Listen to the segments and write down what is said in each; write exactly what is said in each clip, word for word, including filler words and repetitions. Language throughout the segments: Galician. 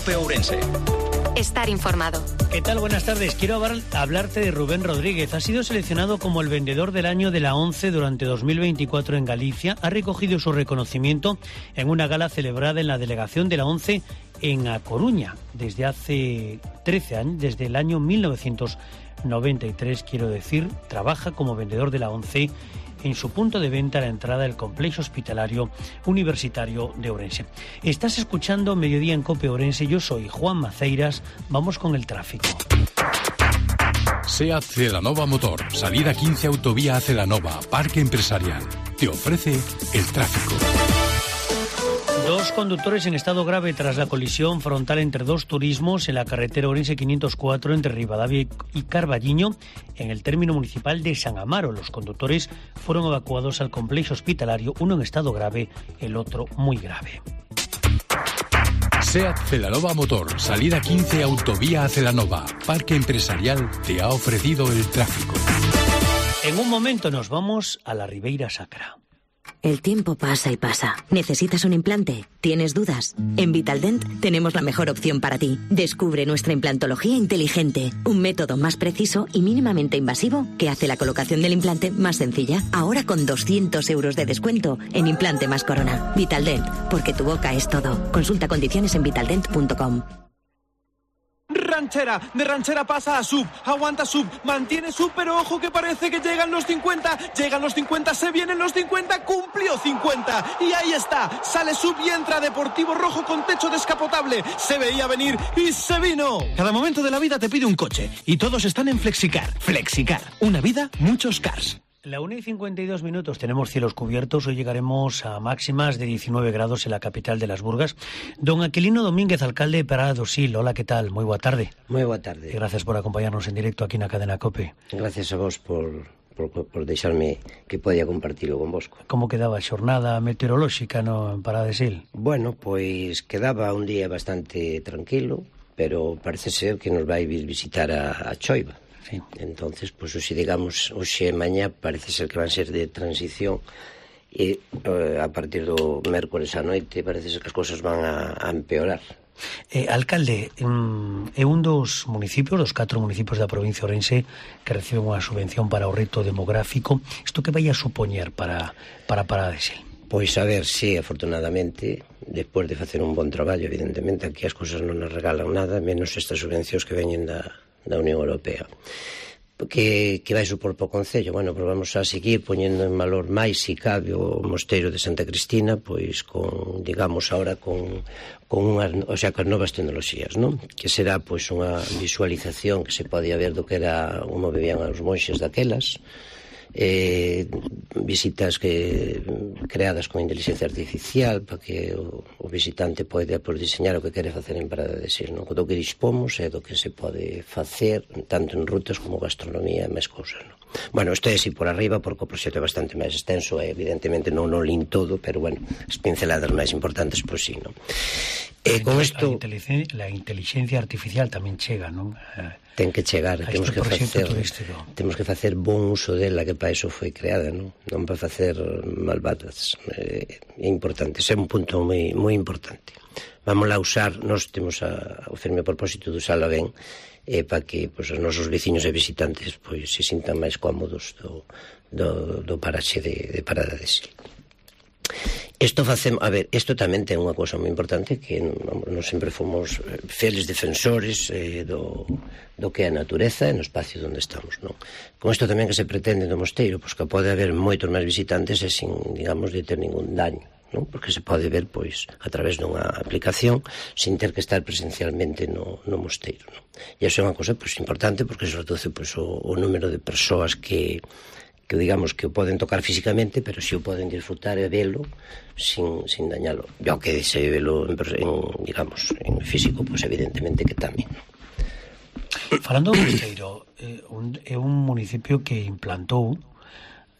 COPE Ourense. Estar informado. ¿Qué tal? Buenas tardes. Quiero hablar, hablarte de Rubén Rodríguez. Ha sido seleccionado como el vendedor del año de la ONCE durante dos mil veinticuatro en Galicia. Ha recogido su reconocimiento en una gala celebrada en la delegación de la ONCE en A Coruña desde hace trece años, desde el año mil novecientos noventa y tres, quiero decir. Trabaja como vendedor de la ONCE en su punto de venta a la entrada del complejo hospitalario universitario de Ourense. Estás escuchando Mediodía en COPE Ourense. Yo soy Juan Maceiras. Vamos con el tráfico. SEAT Celanova Motor, salida quince autovía a Celanova, parque empresarial. Te ofrece el tráfico. Dos conductores en estado grave tras la colisión frontal entre dos turismos en la carretera Ourense quinientos cuatro entre Ribadavia y Carballiño en el término municipal de San Amaro. Los conductores fueron evacuados al complejo hospitalario, uno en estado grave, el otro muy grave. SEAT Celanova Motor, salida quince autovía a Celanova, parque empresarial, te ha ofrecido el tráfico. En un momento nos vamos a la Ribeira Sacra. El tiempo pasa y pasa. ¿Necesitas un implante? ¿Tienes dudas? En Vitaldent tenemos la mejor opción para ti. Descubre nuestra implantología inteligente, un método más preciso y mínimamente invasivo que hace la colocación del implante más sencilla. Ahora con doscientos euros de descuento en implante más corona. Vitaldent, porque tu boca es todo. Consulta condiciones en vitaldent punto com. Ranchera, de ranchera pasa a sub, aguanta sub, mantiene sub, pero ojo que parece que llegan los cincuenta, llegan los cincuenta, se vienen los cincuenta, cumplió cincuenta, y ahí está, sale sub y entra Deportivo Rojo con techo descapotable, se veía venir y se vino. Cada momento de la vida te pide un coche, y todos están en Flexicar. Flexicar, una vida, muchos cars. La una y cincuenta y dos minutos, tenemos cielos cubiertos. Hoy llegaremos a máximas de diecinueve grados en la capital de las Burgas. Don Aquilino Domínguez, alcalde de Parada do Sil. Hola, ¿qué tal? Muy boa tarde. Muy boa tarde. Y gracias por acompañarnos en directo aquí en la cadena COPE. Gracias a vos por, por, por deixarme que podía compartirlo con vosco. Como quedaba a xornada meteorolóxica no, en Parada de Sil? Bueno, pois quedaba un día bastante tranquilo, pero parece ser que nos vai vir visitar a, a choiva. Sí. Entonces, pues hoxe, digamos, hoxe e mañá parece ser que van ser de transición e eh, a partir do mércores á noite parece ser que as cousas van a, a empeorar. Eh, alcalde, um, é un dos municipios, dos catro municipios da provincia de Ourense que reciben unha subvención para o reto demográfico. Isto que vai a supoñer para, para Parada de Sil? Pois a ver, sí, afortunadamente, despois de facer un bon traballo, evidentemente, aquí as cousas non nos regalan nada, menos estas subvencións que veñen da da Unión Europea. Que, que vai supor para o Concello? Bueno, pois vamos a seguir poñendo en valor máis, si cabe, o mosteiro de Santa Cristina, pois con, digamos, ahora con, con unhas, o sea, con novas tecnoloxías, non? Que será, pois, unha visualización que se podía ver do que era como vivían os monxes daquelas, eh, visitas que creadas con inteligencia artificial para que o, o visitante poida por diseñar o que quere facer en Parada de Sil, non? Do que dispomos e do que se pode facer tanto en rutas como gastronomía e máis cousas, non? Bueno, isto é así por arriba porque o proxecto é bastante máis extenso e evidentemente non o lin todo, pero bueno, as pinceladas máis importantes pois sí, non? E con isto la inteligencia artificial tamén chega, non? Ten que chegar, a temos este que facer turístico. Temos que facer bon uso dela, que para iso foi creada, non? Non para facer malvadas. É importante, ese é un punto moi moi importante. Vamos a usar, nós temos a, o firme propósito de usala ben, eh, para que pois, os nosos veciños e visitantes pois, se sintan máis cómodos do, do, do paraxe de, de Parada de Sil. Isto facemos, a ver, isto tamén ten unha cousa moi importante que non, non sempre fomos fieles defensores eh, do, do que é a natureza e no espacio onde estamos, non? Con isto tamén que se pretende no mosteiro, pois que pode haber moitos máis visitantes e sin, digamos, de ter ningún daño, non? Porque se pode ver, pois, a través dunha aplicación sin ter que estar presencialmente no, no mosteiro, non? E iso é unha cousa, pois, importante porque se reduce, pois, o, o número de persoas que que digamos que o poden tocar físicamente, pero si o poden disfrutar e velo sin, sin dañalo. E ao que se velo en, en, digamos, en físico, pois evidentemente que tamén. Falando do Mosteiro, é eh, un, é un municipio que implantou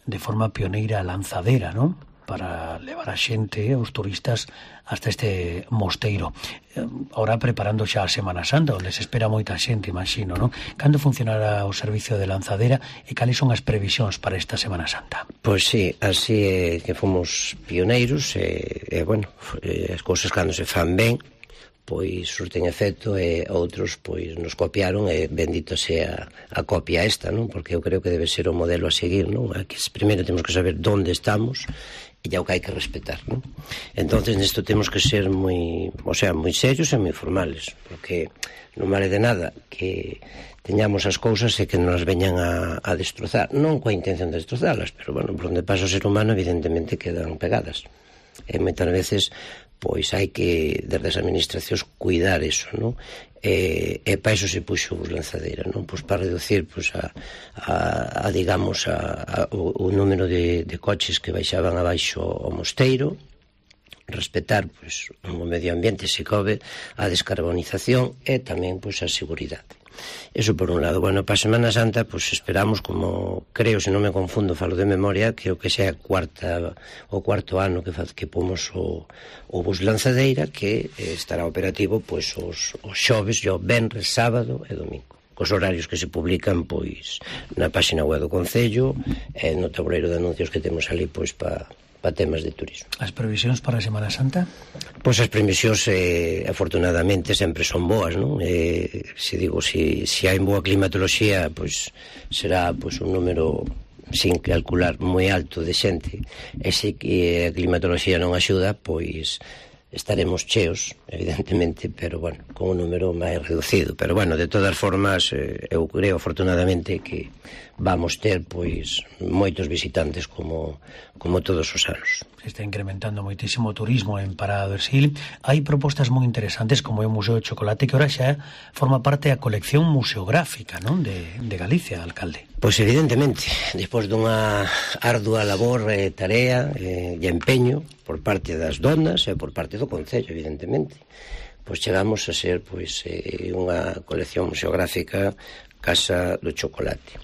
de forma pioneira a lanzadera, non? Para levar a xente, os turistas, hasta este mosteiro. Ahora preparando xa a Semana Santa, onde se espera moita xente, imagino, non? Cando funcionará o servicio de lanzadera e cales son as previsións para esta Semana Santa? Pois sí, así é que fomos pioneiros e, e bueno, as cousas cando se fan ben, pois surten efecto e outros pois nos copiaron e bendito sea a copia esta, non? Porque eu creo que debe ser o modelo a seguir, non? Aquí primeiro temos que saber onde estamos e ya o que hai que respetar, non? Entonces nesto temos que ser moi, o sea, moi serios e moi formales, porque non vale de nada que teñamos as cousas e que nos veñan a, a destrozar, non coa intención de destrozalas, pero bueno, por onde pasa o ser humano evidentemente quedan pegadas. E moitas veces pois hai que, desde as administracións, cuidar eso, non? E, e para iso se puxo os lanzadeira, non? Pois para reducir, pois, a, a, a digamos, a, a, o, o número de, de coches que baixaban abaixo ao mosteiro, respetar, pois, o medio ambiente, se cobe, a descarbonización e tamén, pois, a seguridade. Eso por un lado. Bueno, para a Semana Santa pois esperamos, como creo, se non me confundo, falo de memoria, creo que sea cuarta o cuarto ano que faz, que pomos o, o bus lanzadeira, que eh, estará operativo pois os, os xoves, o venres, sábado e domingo, cos horarios que se publican pois na página web do Concello e no tabuleiro de anuncios que temos ali pois para pa temas de turismo. As previsións para a Semana Santa? Pois as previsións, eh, afortunadamente, sempre son boas, non? Eh, se digo, se si, si hai boa climatoloxía, pois será pois un número, sin calcular, moi alto de xente, e se que a climatoloxía non axuda, pois estaremos cheos, evidentemente, pero, bueno, con un número máis reducido. Pero, bueno, de todas formas, eh, eu creo, afortunadamente, que vamos ter, pois, moitos visitantes como, como todos os anos. Se está incrementando moitísimo o turismo en Parada do Sil. Hai propostas moi interesantes, como é o Museo de Chocolate, que ahora xa forma parte da colección museográfica, non? De, de Galicia, alcalde. Pois evidentemente, despois dunha ardua labor, eh, tarea eh, e empeño por parte das donas e por parte do Concello, evidentemente, pois chegamos a ser pois eh, unha colección museográfica Casa do Chocolate.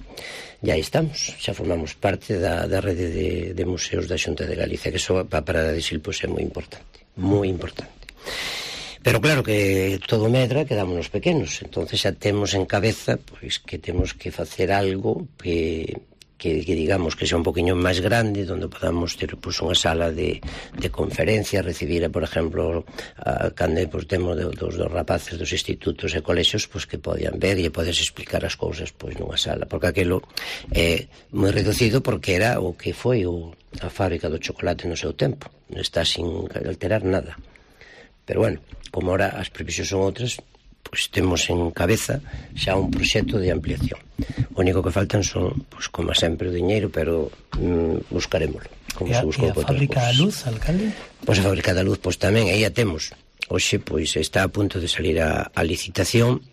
E aí estamos, xa formamos parte da, da rede de, de museos da Xunta de Galicia, que eso para Parada de Sil pois é moi importante, moi importante. Pero claro que todo medra, quedámonos pequenos, entonces xa temos en cabeza pois que temos que facer algo que, que, que digamos que sea un poquinho máis grande, onde podamos ter pois unha sala de, de conferencia, recibir, por exemplo, a, cando pois, temos de, dos, dos rapaces dos institutos e colexios pois que podían ver e podes explicar as cousas pois nunha sala, porque aquilo é moi reducido, porque era o que foi o, a fábrica do chocolate no seu tempo, está sin alterar nada. Pero, bueno, como ahora as previsións son outras, pois temos en cabeza xa un proxecto de ampliación. O único que faltan son, pois como sempre, o diñeiro, pero mm, buscarémoslo. Como e a, se buscou e a fábrica da luz, alcalde? Pois a fábrica da luz, pois tamén, aí a temos. Hoxe, pois, está a punto de salir a, a licitación.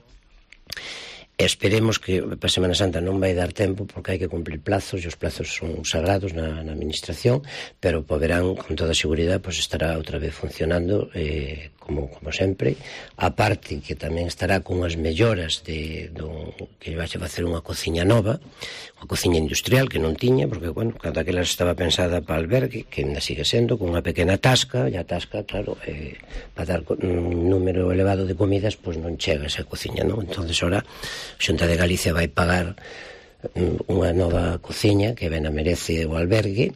Esperemos que para a Semana Santa non vai dar tempo, porque hai que cumplir plazos, e os plazos son sagrados na, na administración, pero po verán, con toda a seguridade, pois estará outra vez funcionando eh, como, como sempre. A parte que tamén estará con as melloras de, do, que vai a facer unha cociña nova, unha cociña industrial que non tiña, porque, bueno, cada que estaba pensada para albergue, que ainda sigue sendo, con unha pequena tasca, e a tasca, claro, eh, para dar un número elevado de comidas, pois non chega esa cociña, non? Entonces, ora, a Xunta de Galicia vai pagar unha nova cociña que ben a merece o albergue,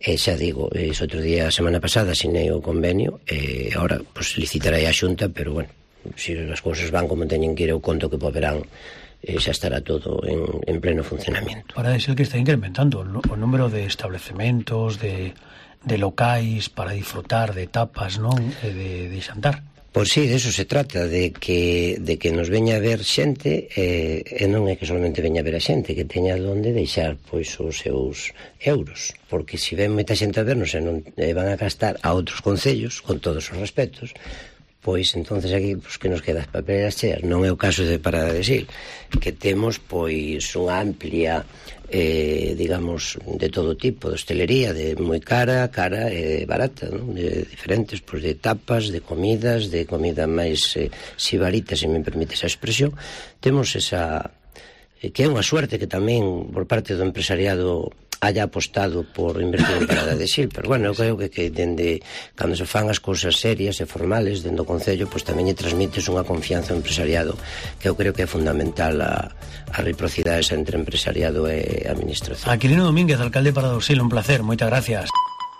e xa digo, ese outro día, a semana pasada, asinei o convenio, e agora, pois, licitarei a Xunta, pero, bueno, se as cousas van como teñen que ir, eu conto que po verán eh, xa estará todo en, en pleno funcionamento. Para ser que está incrementando o número de establecementos, de, de locais para disfrutar de tapas, non? E de, de xantar. Pois sí, de eso se trata, de que, de que nos veña a ver xente, eh, e non é que solamente veña a ver a xente, que teña onde deixar pois os seus euros, porque se ven moita xente a vernos e non e van a gastar a outros concellos, con todos os respetos, pois entonces aquí pois, que nos queda as papeleras cheas. Non é o caso de Parada de Sil, que temos pois unha amplia eh, digamos, de todo tipo, de hostelería, de moi cara, cara e barata, non? De diferentes, pois, de tapas, de comidas, de comida máis eh, sibarita, se me permite esa expresión. Temos esa, eh, que é unha suerte que tamén por parte do empresariado haya apostado por invertir en Parada de Sil, pero, bueno, eu creo que, que dende cando se fan as cousas serias e formales dentro do Concello, pois tamén lle transmites unha confianza ao empresariado, que eu creo que é fundamental a, a reciprocidade entre empresariado e administración. Aquilino Domínguez, alcalde de Parada do Sil, un placer, moitas gracias.